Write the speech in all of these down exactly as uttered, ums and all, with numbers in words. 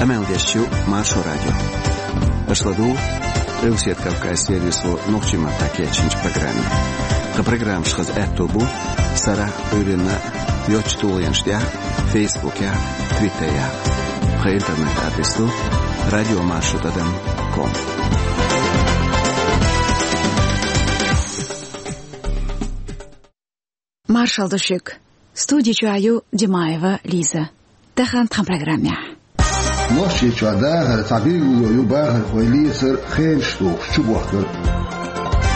Къамел деш ю Маршо радио. Аша ладугӀу Къилбаседа Кавказан сервисо нохчийн маттахь кечйинчу программе. Тхан программаш хаза аьтто бу сарахь а, Ӏуьйранна а йоцачу тулгӀенаш тӀехь а, Фейсбукехь а, Твиттерехь а. Тхан интернет-адрес ду радиомаршо тӀадам ком. Маршалла ду шуьга. Студи чохь ю Димаева Лиза. Тахана тхан программехь. Нохчийчохь дахар цхьа билгало ю бахархой лецар, хенаш тухуш чубохкар.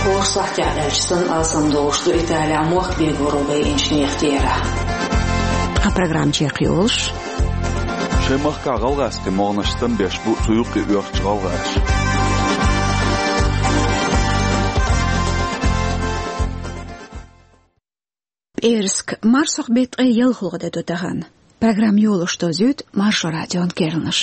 ХӀора сахьтехь аьлча санна алсамдолуш ду Италехь мохк бегоро байинчу нехан терахь. Тхан программа чекхйолуш. Шайн махкахь гӀалгӀазкхийн могӀанаш стам беш бу цу юккъе оьхучу гӀалгӀаша. ПӀераска, марсхьокху беттан ткъе ялхалгӀа де ду тахана. Программа йолуш дозуьйту Маршо радион керланаш.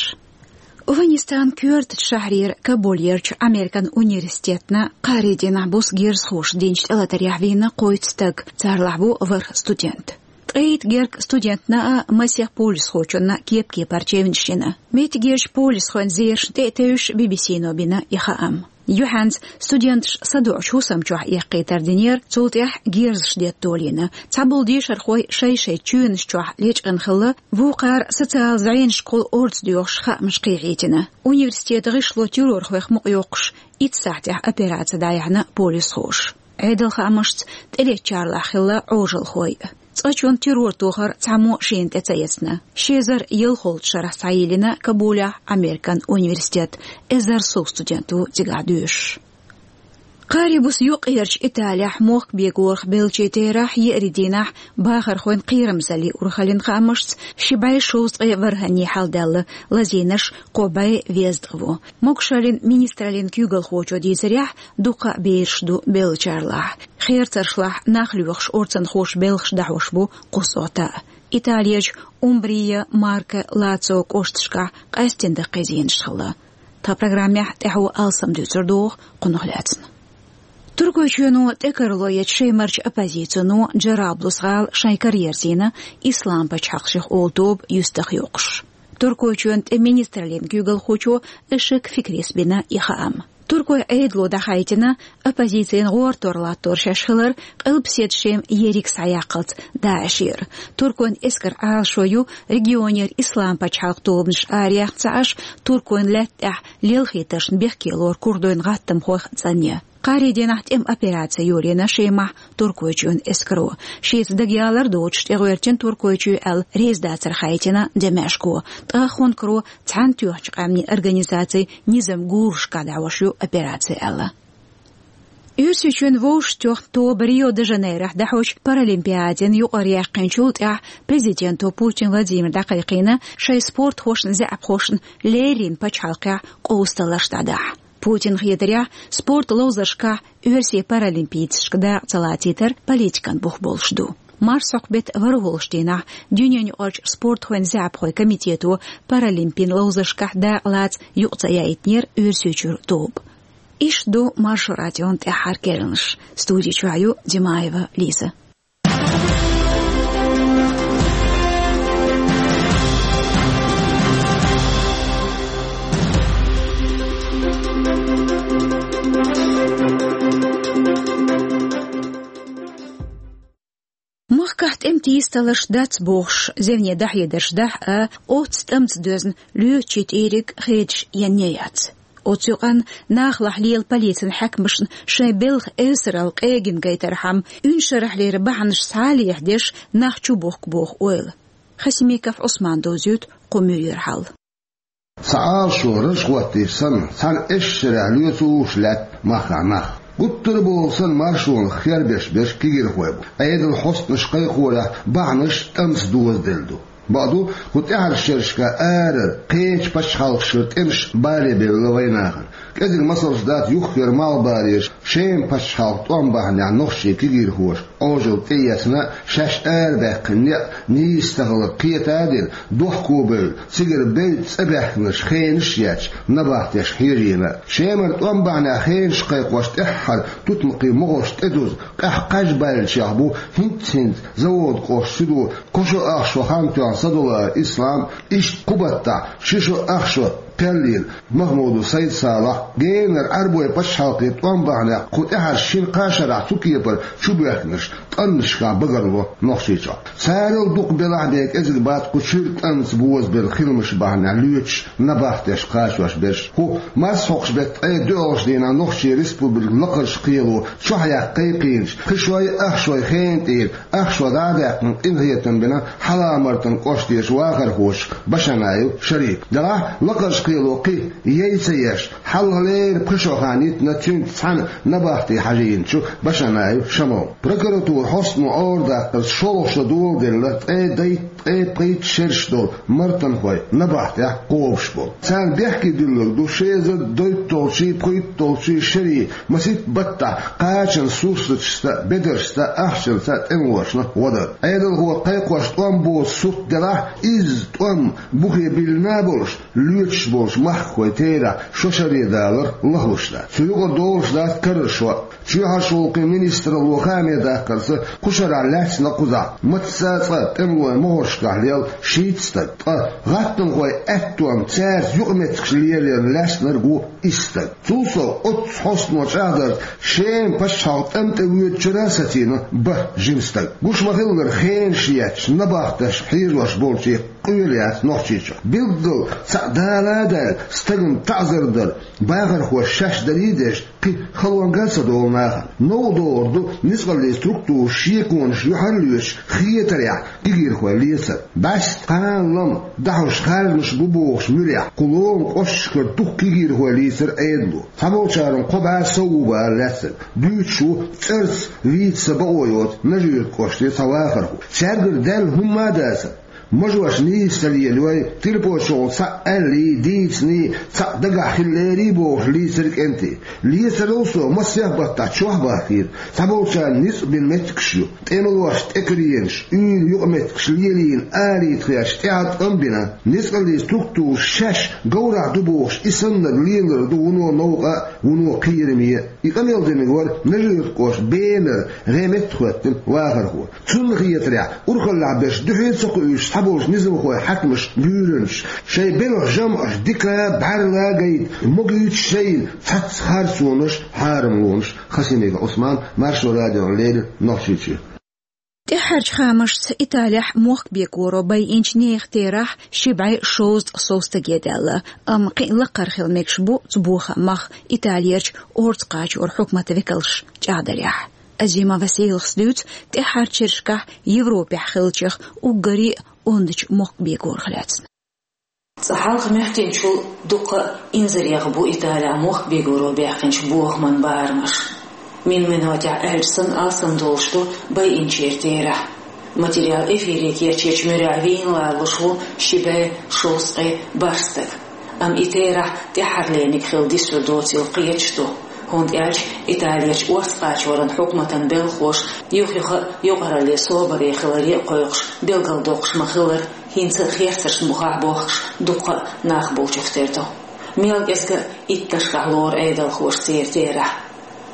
Афганистанан коьртачу шахьарера Кабулерчу Американ университетна кхаарин дийнахь буса герзахоша динчу тӀелатарехь вийна кхойтта стаг, царалахь ву ворхӀ студент. Ткъе итт гергга студентна а, масех полисхочунна кеп-кепара чевнаш йина. Меттигерчу полисхойн зерашна тӀе а тевжаш, Би-Би-Си-но бина и хаам. Юьхьанца студенташ садоӀучу хӀусам чохь эккхийтар динера, цул тӀаьхьа герзаш детта долийна. Цхьаболу дешархой шай-шайн чоьнаш чохь лечкъина хилла, вукхара социалан зӀенашкахула орцадоьхуш хаамаш кхехьийтина. Университетан гӀишло террорхойх мукъайоккхуш, итт сахьтехь операци дӀаяьхьна полисхоша. Ӏедалан хаамашца, тӀелеттачарлахь хилла Ӏожалхой а. Цкъачунна террор тохар цхьаммо а шена тӀе ца эцна. Ши эзар ялхолгӀачу шарахь схьайиллина Кабулехь Американ университет, эзар сов студент ву цигахь доьшуш. Кхаарин буса юккъерчу Италехь мохк бегорах беллачийн терахь еарин дийнахь бахархойн кхерамзаллин урхаллин хаамашца, ши бӀе шовзткъе ворхӀанне хьалдаьлла, лазийнарш кхо бӀе везткъа ву. Могушаллин министраллин куьйгалхочо дийцарехь, дуккха а бераш ду беллачарлахь. Херцаршлахь нах лоьхуш орцанхоша белхаш дӀахьош бу кху сохьта а. Италерчу Умбрия, Марке, Лацио кӀошташкахь къаьсттина даккхий зенаш хилла. Тхан программехь тӀаьхьо алсам дуьйцур ду оха кхунах лаьцна. Туркойчоьно тӀекарале ечу Шемарчу оппозицино Джараблус гӀала шайн кара ерзийна, Ислам пачхьалкх шех олу тоба юьстах йоккхуш. Туркойчоьнан тӀеман министраллин куьйгалхочо Ишик Фикрис бина и хаам. Туркойн Ӏедало дӀахаийтина, оппозицина гӀортор латтор шаьш хилар Къилбаседа Шема ерриг схьаяккхалц ДАИШера. Туркойн эскаран Ӏалашо ю регионера Ислам пачхьалкх тобанаш араяьхна ца Ӏаш, туркойн лаьтта тӀехь лелхийтаршна бехке лору курдойн гӀаттамхойх цӀанъян. Кхаарин дийнахь тӀеман операци йолийна Шемахь Туркойчоьнан эскаро. Шеца дагаялар доцуш тӀегӀоьртина Туркойчоь аьлла реза дацар хаийтина Демешко. Ткъа хӀункаро Цхьаьнатоьхначу Къаьмнийн Организацин низам гурашкахь дӀахьош ю операци аьлла. Оьрсийчоьнан вовшахтоьхна тоба Рио-де-Жанейрохь дӀахьочу Паралимпиадина юкъара яьккхинчул тӀаьхьа президенто Путин Владимира дӀакхайкхийна шайн спортхошна, заьӀапхошна леррина пачхьалкхехь къовсадаларш дӀадахьа. Путинна хетарехь, спортан ловзаршкахь оьрсийн паралимпийцашка дакъа ца лацийтар политикан бух болуш ду. Марсхьокху беттан ворхӀалгӀачу дийнахь дуьненаюкъарчу спортхойн заьӀапхойн комитето паралимпийн ловзаршкахь дакъа лаца юкъа ца яийтинера Оьрсийчуьра тоба. Иштта ду Маршо радион тӀаьххьара керланаш. Студи чохь ю Димаева Лиза. Махкахь тӀеман тийсадаларш дац бохуш, зевне дӀахьедарш дахь а, оццу тӀамца доьзна лоьцучийн тӀийриг хедаш енне яц. Оцу юкъанна нахалахь лела полицин хьаькамашна шайн белхан эвсаралла къегина гайтархьама, уьншарахьлера бахьанаш схьа а лехьадеш, нах чубохку боху ойла. Хасимиков Ӏусмана довзуьйту кху муьйран хьал. Цхьа Ӏалашо раж хӀоттийча санна, цхьана эшшарехь лоьцуш лаьтта махкахь нах. Гуттар а бохург санна, маршонах хербеш берш кегийрхой бу. Ӏедалан хьостанаш кхайкхорехь бахьанаш тӀамца дозаделла ду. Бакъду, кху тӀаьхьарчу шерашкахь арара, кхечу пачхьалкхашкара тӀемаш бале бевлла вайнахана. КӀезиг масалш дац юххера малхбалерчу Шеман пачхьалкхан тӀом бахьанехь нохчийн кегийрхоша Ӏожалла тӀеэцна, шаьш арабаьккхина некъ нийса ца хилар кхета а дина, дохко бевлла, цигара бевдда цӀа баьхкинарш хенаш а етташ, набахтешка хьежийна. Шемара тӀом бахьанехь хенаш кхайкхош тӀаьххьара тутмакхийн могӀарш тӀедуза, къаьхьа кхаж баьллачех бу хӀинцца-хӀинцца Заводкъоштан суьдо Кошо-Ахшо хан тоьхна Садулаев Ислам, иштта кху баттахь ши шо ах шо кхел йина Махмудов Сайд-Салахь, генара Ӏарбойн пачхьалкхе тӀом бахьанехь кху тӀаьхьарчу шина-кхаа шарахь цу кепара чубоьхкинарш тӀаннашкахь багарло Нохчийчохь. Царал дукха белахь а бен кӀезиг бац кху чуьра тӀанца бозабелла хиламаш бахьанехь лоьцуш, набахтеш кхачош берш. ХӀу, марсхьокху беттан ткъе доьалгӀачу дийнахь Нохчийн Республикан Лакхарчу кхело чохь яккха кхайкхийначу пхи шой, ах шой хенан тӀера ах шо дӀа а даьккхина, къинхетам бина Хьалха-Мартан кӀоштарчу вахархочух Башанаев Шарипах. Делахь, Лакхарчу кхело кхин яй ца еш, хьалхалера пхи шо хан йитина цуьнца цхьаьна набахте хьажийначу Башанаев Шамална. Прокуратуран хьостано Ӏорадаккхарца, шолгӀа шо доладелла ткъе дейтта, ткъе пхийтта шераш долу мартанхой набахтехь кхобуш болу. Царна бехке дуьллург ду ши эзар дейтталгӀачий, пхийтталгӀачий шерийн масийтта баттахь кхачанан сурсаташца, бедаршца, ахчанца тӀемалошна гӀо дар. Ӏедалхо кхайкхош тӀом боцу сурт делахь, изза тӀом бухе биллина а болуш, лоьцуш болчу махкахойн терахь шо шаре далар лахлуш дац. Цу юкъара долуш дац карара шо а. Чоьхьарчу гӀуллакхийн министралло хааме даккхарца, кху шарахь лаьцна кхузахь мацца а цкъа тӀемалойн могӀаршкахь лелла шийтта стаг. Ткъа гӀаттамхойн аьттонца цаьрца юкъаметтигаш лелорна лаьцнарг ву исс стаг. Цул сов, оццу хьостано чӀагӀдарца, Шеман пачхьалкх тӀам тӀе воьдучуьра а сацийна бан жима стаг. Гуш ма-хиллара, хенаш етташ, набахташ хьежош болчийн къоьлла яц Нохчийчохь. Билггал цхьаъ дала а даьлла, стагана таӀзар дар бахархоша шаьш дарий а деш, кхин халонга а ца долу нахана. Новкъа догӀур ду ницкъаллийн структураш шеконаш юьхьарлоьцуш хетарехь кегийрхой лецар. БӀаьста, кхана-лама дӀахьош харжамаш бу бохучу муьрехь, кху ломан кӀошташкара дукха кегийрхой лийцира Ӏедало. Цхьаболчарна кхо бӀе сов ву бара лаьцнарг. Дуьйцуш ву, цӀарца вийца сан бакъо йоцу Нажи-Юьртан кӀоштан цхьа вахархо. Цаьргара даьлла хӀумма а дацара. Мажош нийса ца лелайой, телефонехула цхьаъ аьллий, дийциний, цхьаъ дагахь хилла лерий бохуш лийцира кӀентий. Лецарал сов массех а баттахь чохь а бахкийра. Цхьаболчарна ницкъ бина меттигаш ю. ТӀемалошца тӀекаренаш, уьйла юкъаметтигаш лелийна, алийта хезча, тӀаьхьа тӀом бина. Ницкъаллийн структураш шаьш говрахь ду бохуш, и саннарг лелар ду вуно новкъа а, вуно кхераме а. И къамел динарг вара Нажи-Юьртан кӀоштан Бенара гӀеметтахӀоьттина вахархо. Цунна хетарехь, урхаллехь берш дуьхьал ца кхуьуш, цхьаболчу низамхойн хьаькамаша буьйранчаш, шайн белхан жамӀаш дика а, бӀаьрла а гайта, могуьйтуш шайна цхьацца харцонаш, хьарамлонаш. Хасимиков Ӏусман, Маршо радиона леррина, Нохчийчоь. ТӀаьххьарчу хаамашца, Италехь мохк бегоро байинчу нехан терахь ши бӀе шовзткъа сов стаге даьлла, амма кхин а лакхара хила мегаш бу цу бохамах Италерчу орца кхачоран хьукматан векалша чӀагӀдарехь. Азима Василас дуьйцу тӀаьххьарчу шерашкахь Европехь хиллачех уггаре а ондачу мохк бегорах лаьцна. Цкъа хьалха моьттинчул дуккха а инзарех бу Италехь мохк бегоро баьккхинчу бохаман барамаш. Мин-минотехь аьлча санна алсамдолуш ду байинчеран терахь. Материал эфире кечйинчу муьрехь вийна лоруш ву ши бӀе шовзткъе бархӀ стаг. Амма и терахь тӀаьххьарлерниг хила дисур доцийла кхеташ ду, хӀунда аьлча Италерчу орца кхачоран хьукматан белхахоша юх-юха а юкъаралле собаре хиларе а кхойкхуш, билгалдоккхуш ма-хиллара, хӀинца а херцаршна бухахь бохкуш дуккха а нах болчух тера ду. Мел кӀезга а итташкахь лору Ӏедалхоша церан терахь.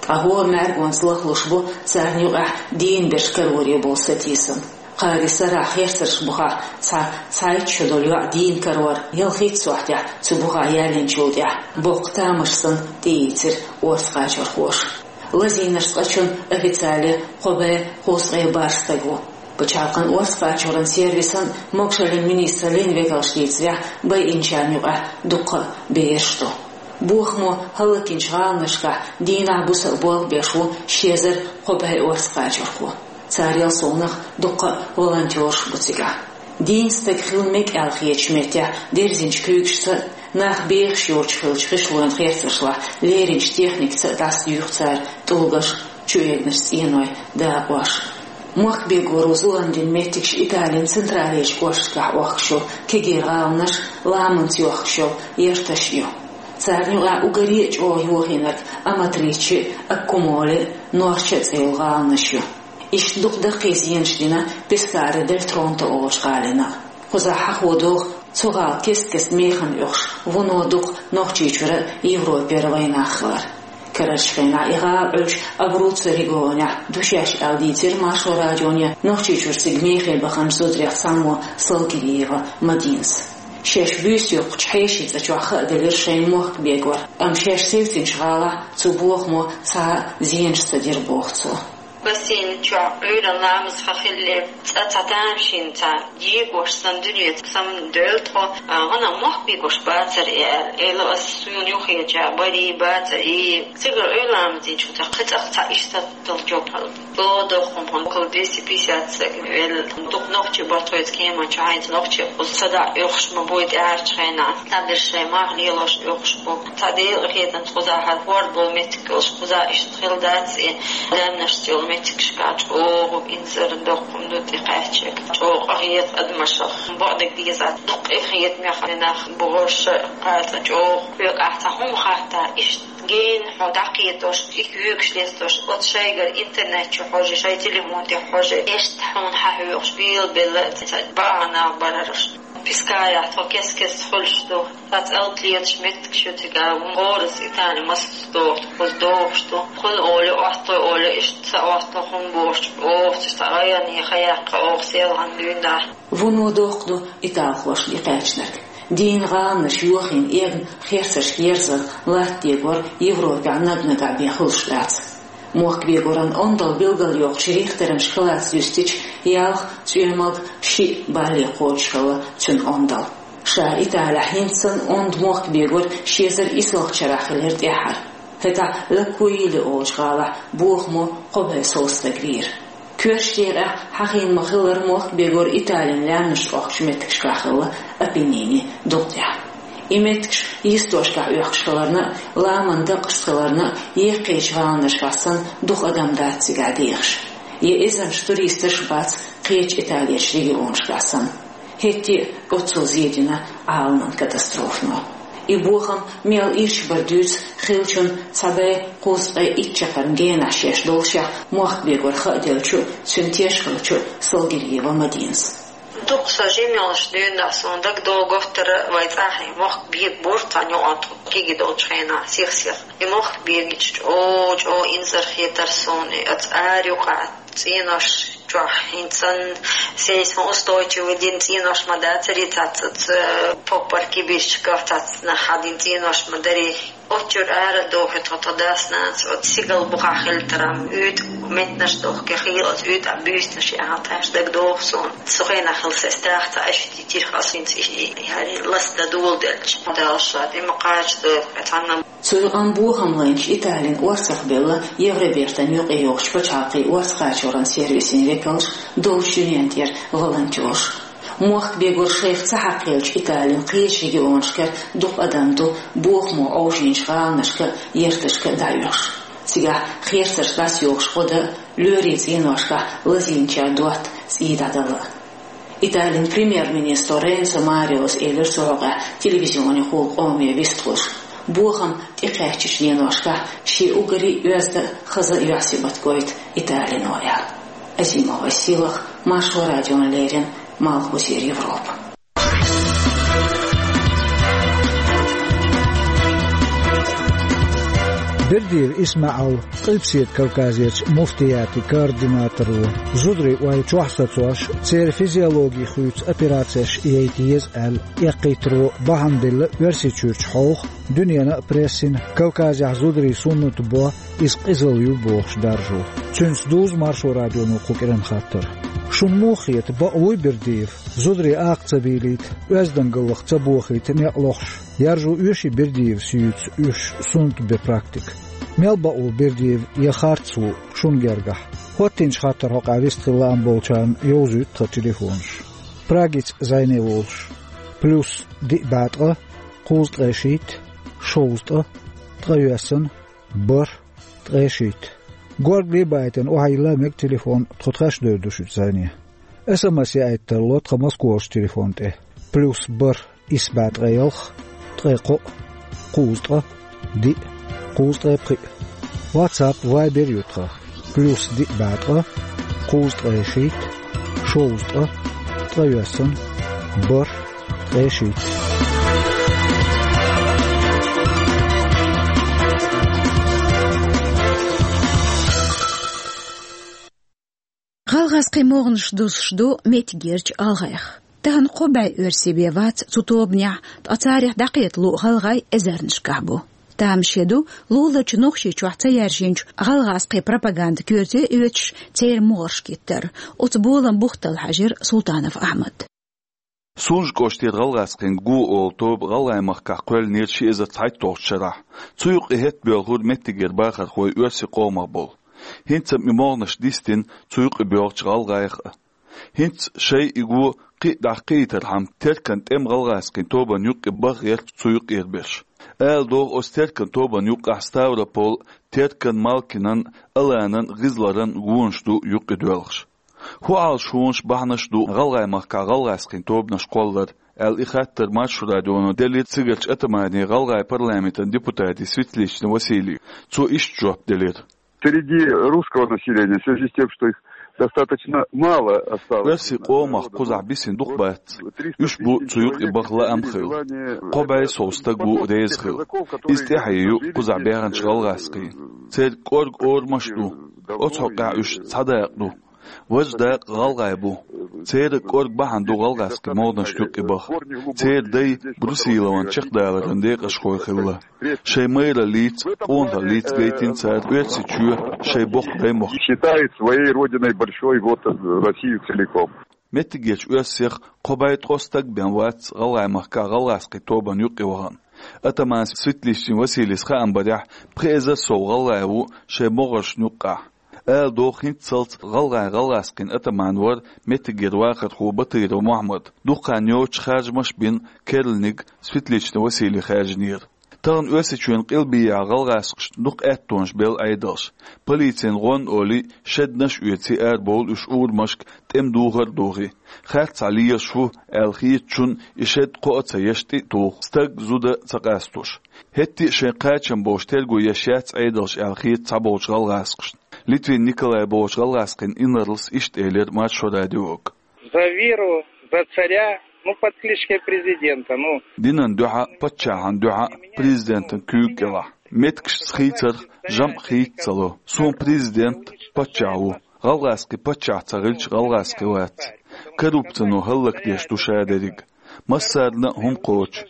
Ткъа хӀора мӀаьргонца лахлуш бу царна юкъахь дийна берш кароре болу сатийсам. Кхаарин сарахь херцаршна бухахь цхьа цхьайтта шо долу йоӀ дийна карор, ялхитта сохьтехь цу бухахь яьллинчул тӀаьхьа боккха тамаш санна тӀеийцира орца кхачорхоша. Лазийнарш цкъачунна официале кхо бӀе кхузткъе бархӀ стаг ву. Пачхьалкхан орца кхачоран сервисан а, могашаллин министраллин а векалша дийцарехь, байинчарна юкъахь дуккха а бераш ду. Бохамо хӀаллакйинчу гӀаланашкахь дийнахь-буса а болх беш ву ши эзар кхо бӀе орца кхачорхо. Царел совнаха дуккха а волонтёраш бу цигахь. Дийна стаг хила мега аьлла хетачу меттехь дерзинчу куьйгашца а, нах бехаш йоцуш хиллачу гӀишлойн херцаршлахь леринчу техникаца а дӀасадуьйху цара тӀулгаш, чуэгначу цӀеной дакъош. Мохк бегоро зулам дина меттигаш Италин централерчу кӀошташкахь Ӏохкуш йолу кегийрхой, гӀаланаш, ламанца йохкуш йолу ярташ а ю. Царна юкъахь уггаре а чӀогӀа йохийнарг Аматриче а, Аккумоле а, Норча а цӀе йолу гӀаланаш ю. Иштта дукха даккхий зенаш дина Пескаре дель Тронто олучу гӀалина а. Кхузахь хьахо догӀу цу гӀала кест-кеста механа оьхуш вуно дукха Нохчийчуьра а, Европера а вайнах хилар. Карарчу хенахь и гӀала Ӏуьллуш Абруццеран регионехь ду шаьш аьлла дийцира Маршо радионе Нохчийчуьра цига мехе баханчу зударех цхьаммо Салгириева Мадинас. Шаьш буьйса йоккхучу хьешийн цӀа чохь хааделира шайн мохк бегор, амма шаьш севцинчу гӀалахь цу бохамо цхьа а зенаш ца дира, боху цо. Бассейн чохь Ӏуьйранна ламаз хан хилла, цӀа цхьа тамашийна цхьа дегош санна дуьненца самадоьлла тхо, а, гӀанах мохк бегош бацара и аьлла. Эла ас суна юххеча барий бацара и. Цигара Ӏуьйранна ламаз динчу цхьа кхин цӀа цхьа иштта долчу жоп хьала. Ло доху хӀума хӀунда кху двести пятьдесят стаг велла. Дукха нохчий бара тхоьца кеманчу хьайца нохчий, кхуза садаӀа оьхуш ма бу и тӀаьхьарчу хенахь. Цхьаберш шайн мах лелош оьхуш бу. Цхьа Делан къинхетамца кхузахь хӀара хӀор болу меттиг йолуш, кхузахь иштта хила дац и. Даьмнашца йолу меттигашкахь чӀогӀа инзар доккхун ду тӀекхаьчча. ЧӀогӀа къахета адамашах. Бакъдерг деза, дуккха а хетамех нах бохуш, кхацкъа чӀогӀа хьоькъахь цхьа хӀума хатта, иштта гена хьо дӀакхетош, и куьйгаш лестош, оцу шайгара интернет чу хьожий, шайн телефон тӀе хьожий, иштта хьуна хьан хьоькъуш, белабелла ца бахьана бара хӀорш. Пискарехь тхо кест-кеста хуьлуш ду. Цхьацца алтлеташ меттигаш ю цигахь, вон гӀорас Итали масалш доху, кхуза дохуш ду. Кхунна олу, отту олу, иштта ца отту хӀума бохуш, оха цу районе хан яккха оха селхана дуьйна. Вуно доккха ду италхошна и кхаьчнарг. Дийна гӀаланаш йохийна, эгна херцаршка ерзар латта дегор Европехь наг-нагахь бен хуьлуш дац. Мохк бегоран ондалла билгалйоккхучу Рихтеран шкалаца юьстича, ялх, цӀоьмалг, шиъ балле кхочуш хилла цуьнан ондалла. Ша Италехь хӀинца санна онда мохк бегор ши эзар исалгӀачу шарахь хилира тӀаьххьара. ХӀетахь Лакуили олучу гӀалахь бохамо кхо бӀе сов стаг вийра. Коьртачу декъехь хьахийна ма-хиллара, мохк бегор Италин лаьмнаш тӀохкучу меттигашкахь хилла, Апеннинийн дукъ тӀехь. И меттигаш йистошкахь оьхкуш хиларна а, ламан дакъашца хиларна а, еккхийчу гӀаланашкахь санна дукха адам дац цигахь дехаш. Я эзарнаш туристаш а бац кхечу Италерчу регионашкахь санна. ХӀетте а оццул зен дина Ӏаламан катастрофано. И бохам мел ирча бара дуьйцу хиллачунна цхьа бӀе кхузткъе итт чаккхарма генахь шаьш доллушехь мохк бегор хааделлачу а, цуьнан теш хиллачу а Салгириева Мадинас. Дукха со жима йолуш дуьйна суна дагадогӀу, готтара вай цӀахь мохк бегабора цхьана юкъана тхо кегий долчу хенахь сих-сиха. И мохк бегича чӀогӀа-чӀогӀа инзар хетара суна, и оцу ара юкъахь цӀенош чохь хӀинца санна сейсмоустойчивый дина цӀенош ма дацара, и цхьацца поппар кибирчках цхьацца нах хьадина цӀенош ма дарий. Оццуьра ара а дохуьйту тхо, тхан дас-нанас оцу сигал бухахь хилла тара, уьйтӀа меттанаш дохке хилла, оцу уьйтӀа буьйсанаш яхьа тхаьш дагадогӀу суна. Цу хенахь хилла сайн стах цхьа аша дитира, хьо синца и, и, и, хӀара ласта доладелча. Дала ша тӀе ма кхачадойла, цхьанна. Цу юкъанна бохам лайначу Италин орцахбевлла Евробертан юкъайогӀучу пачхьалкхийн орца кхачоран сервисийн векалш, долчу дуьнен тӀера волонтёрш. Мохк бегор шайх ца хьакхаеллачу Италин кхечу регионашкара дукха адам ду бохамо Ӏовжийначу гӀаланашка а, ярташка а дӀаоьхуш. Цигахь херцарш дӀасайохуш гӀо дан а, лоьрийн цӀеношкахь лазийначара дотта цӀий дӀадала а. Италин премьер-министро Ренцо Мариос элира цу хьокъехь телевизионехула къоме вистхуьлуш. Бохам тӀекхаьчначу деношкахь шен уггаре а оьзда а, хаза а юьхь-сибат гойту Италино аьлла. Азимова Силах, Маршо радиона леррина, Малхбузера Европа. Бердиев ИсмаӀал, Къилбаседа Кавказерчу муфтиятийн координаторо, зударийн ой чохь сацош, церан физиологи хуьйцу операцеш яйта еза аьлла, эккхийтаро бахьана делла Оьрсийчуьрчу хьовха, дуьненан а прессина, Кавказехь зударийн суннат бо, иза къизалла ю бохуш даржо. Цуьнца дузу Маршо радионо кху кӀиран хаттар. Шуна муха хета, бакъ вуй Бердиев? Зударий акха ца бийлийта, оьздангаллах ца бохийта некъ лохуш, яржо оьший Бердиевс юьйцу уьш суннат бен практика? Мел бакъ ву Бердиев я харц ву шуна гергахь? ХӀоттийначу хаттаран хьокъехь вистхила лаам болчарна йовзуьйту тхан телефонаш. Прагица зӀене волуш: плюс диъ бӀе ткъа, кхузткъе шийтта, шовзткъа, ткъайоьсна, бархӀ, ткъе шийтта. Горга лебаийтина охьайилла мега телефон, тхо тхаьш девр ду шуьца зӀене. СМС яийта тарло тхан Москварчу телефон тӀе: плюс бархӀ, исс бӀе ткъе ялх, ткъе кхоъ, кхузткъа, диъ, кхузткъе пхиъ. WhatsApp, Viber ю тхан: плюс диъ бӀе ткъа, кхузткъе шийтта, шовзткъа, ткъайоьсна, бархӀ, ткъе шийтта. ГӀалгӀазкхийн могӀанаш дусуш ду меттигерчу гӀалгӀайх. Тахана кхо бӀе оьрсий бен вац цу тобанехь, ткъа царах дӀакхеталу гӀалгӀай эзарнашкахь бу. Тамаше ду, луларчу Нохчийчохь ца яьржинчу гӀалгӀазкхийн пропаганда коьрте оьцуш, церан могӀарш гиттар. Оцу боламан бух талла хьаьжира Султанов Ахьмад. Сунжа кӀоштера гӀалгӀазкхийн «Го» олу тоба ГӀалгӀайн махкахь кхоьллинера ши эзар цхьайтталгӀачу шарахь. Цу юккъе хӀетта боьлхура меттигера бахархой оьрсийн къомах болу. ХӀинца а и могӀанаш дистина, цу юккъе боьлхучу гӀалгӀайх а. ХӀинца шайн и го кхин а дӀакхиийтархьама, Теркан тӀеман гӀалгӀазкхийн тобанна юккъе баха гӀерта цу юккъера берш. Ала догӀу, оцу Теркан тобанна юккъехь Ставрополан, Теркан, Малкинан, Аланан, ГӀизларан гонаш ду юккъе доьлхуш. ХӀун Ӏалашонаш, бахьанаш ду ГӀалгӀайн махкахь гӀалгӀазкхийн тобанаш кхолларан, аьлла, и хаттар Маршо радионо делира цигарчу атамане, ГӀалгӀайн парламентан депутате Светличный Василийга. Цо иштта жоп делира. Среди русского населения, в связи с тем, что их достаточно мало осталось. Оьрсийн къомах кхузахь бисина дукха бац. Уьш бу цу юккъе баха лаам хилла. Кхо бӀе сов стаг ву реза хилла. Иза тӀаьхье ю кхузахь баьхначу гӀалгӀазкхийн. Церан кӀорга орамаш а ду. Оцу хьокъехь уьш цхьа дакъа ду. Важа дакъа гӀалгӀай бу. Церан кӀорга бахьана ду гӀалгӀазкхийн могӀанашна юккъе баха. Церан дай Брусиловн чекхдаларан декъашхой хилла. Шайн майраллица, къонахаллица гайтина цара Оьрсийчоь шайн боккха даймохк. Считает своей родиной большой вот Россию целиком. Меттигерчу оьрсех кхо бӀе ткъа стаг бен вац ГӀалгӀайн махкахь гӀалгӀазкхийн тобанна юккъе вахана. Атаман Светличный Василийс хаам барехь, пхи эзар сов гӀалгӀай ву шайн могӀаршна юккъехь. Ала догӀу, хӀинццалц гӀалгӀайн гӀалгӀазкхийн атаман вара меттигера вахархо Батыров Мохьмад. Дукха хан йоццуш харжамаш а бина, керланиг Светличный Василий хаьржинера. Тахана Оьрсийчоьнан къилбехьа гӀалгӀазкхашна дукха аьттонаш белла Ӏедалша. Полицина гӀонна олий, шеднаш а оьций, арабовлу уьш урамашка, тӀеман духар а духий. Харцахьа лелаш ву аьлла хетачунна и шед кхоа а ца еш, тӀе а туху, стаг, зуда а ца къастош. ХӀетте а шайн кхачам болуш терго еш яц Ӏедалша аьлла хета цхьаболчу гӀалгӀазкхашна. Литвин Николай бохучу гӀалгӀазкхийн инарлас иштта элира Маршо радиога. За веру, за царя, ну, под кличкой президента, ну. Динан дуьхьа, паччахьан дуьхьа, президентан куьйга кӀелахь. Меттигашца хийцарх жамӀ хийца ца ло. Суна президент паччахь ву. ГӀалгӀазкхи паччахь ца хилча, гӀалгӀазкхи вац. Коррупцино хӀаллакдеш ду ша дерриг. Массарна а хӀума кхочу,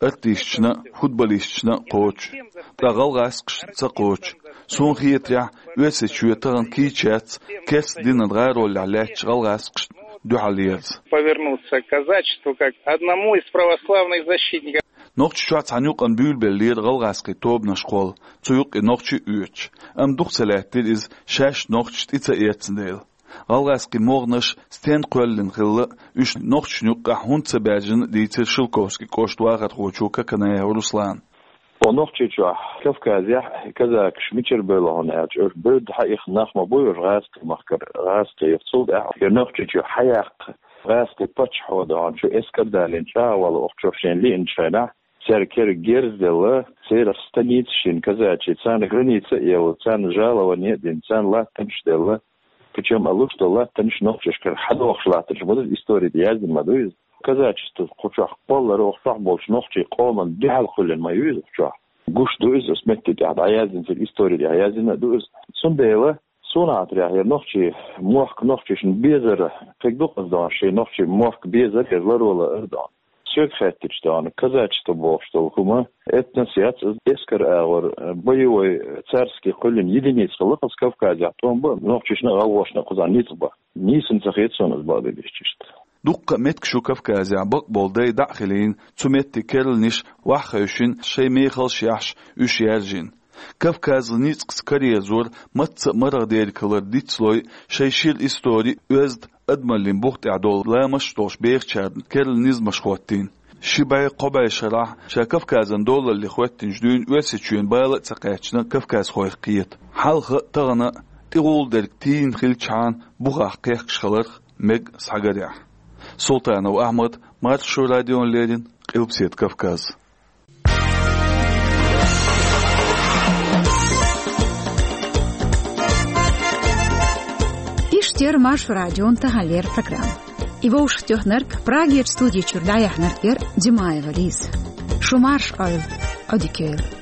артисташна а, футболисташна а кхочу, ткъа гӀалгӀазкхашна ца кхочу. Суна хетарехь, Оьрсийчоь тахана кийча яц керста динан гӀаролехь лаьттачу гӀалгӀазкхашна дуьхьал ерза. Повернуться к казачеству как одному из православных защитников. Нохчийчохь цхьана юкъана буьйлабеллера гӀалгӀазкхийн тобанаш кхолла, цу юккъе нохчий а оьцуш. Амма дукха ца лаьттира иза, шаьш нохчаша тӀе ца эцна дела. ГӀалгӀазкхийн могӀанаш стенна кхоьллина хилла, уьш нохчашна юккъехь хӀунда ца баьржина, дийцира Шелковски кӀоштан вахархочо Коканаев Руслана. О, Нохчийчохь, Кавказехь казакаш мичара бевлла хьуна аьлча, уьш бевдда хьаихна нах ма бу уьш гӀазкхийн махкара, гӀазкхийн юха. Цул тӀаьхьа хӀара Нохчийчоь хьаяккха гӀазкхийн паччахьо ду хьуна, чу эскар далийна чӀагӀвала вахчух шайна лиъначу хенахь, цаьрга кера герз а делла, церах станицаш йина казачий, царна граница а елла, царна жалование а дина, царна латтанаш а делла, причем а луш долу латтанаш нохчашкара хьадохуш латтанаш ма ду, истори тӀе яздина ма ду иза. Казачество кху чохь кхоллар, оха чохь болчу нохчийн къоман дуьхьал кхоьллина ма ю иза кху чохь. Гуш ду иза, аса метте тӀехь дӀаяздина, церан истори тӀехь яздина а ду иза. Цундела суна хетарехь, хӀара нохчийн мохк нохчашна безар, кхин дукха а ду хьуна, шен нохчийн мохк безар, хӀара ларвала ара ду хьуна. Соьга хаьттича ду хьуна, казачество бохуш долу хӀума этнос яц, иза эскар агӀор, боевой, царский кхоьллина единица хилла кхуза Кавказехь, тӀом бан нохчашна а, гӀалгӀашна а кхузахь ницкъ бан. Нийсана ца хета суна иза, бакъдерг дийцича. Дуккха а меттигаш ю Кавказехь, бакъболу дай дӀа а хилийна, цу метте керланаш охьахевшина, шайн мехалш а яхьаш, уьш яьржина. Кавказан ницкъаца караерзор мацца а марха дерг хилар дицлой, шайн шира истори, оьзда, адамаллин бух тӀехь долу ламасташ долуш бехачарна керла низамаш хӀоттийна. Ши бӀе, кхо бӀе шарахь ша Кавказан долалле хӀоьттинчу дуьйна Оьрсийчоьнан бала а ца кхаьчна кавказхойх кхета. Хьалха а, тахана а тӀехула дерг тийна хилчахьана, бухахь кхехкаш хиларх мега схьагарехь. Султанов Ахьмад, Маршо радиона леррина, Къилбаседа Кавказ. Иштта яра Маршо радион таханлера программа. И вовшахтоьхнарг, Прагерчу студи чуьра дӀаяьхьнарг яра Димаева Лиза. Шу марша Ӏойла, Ӏодика йойла.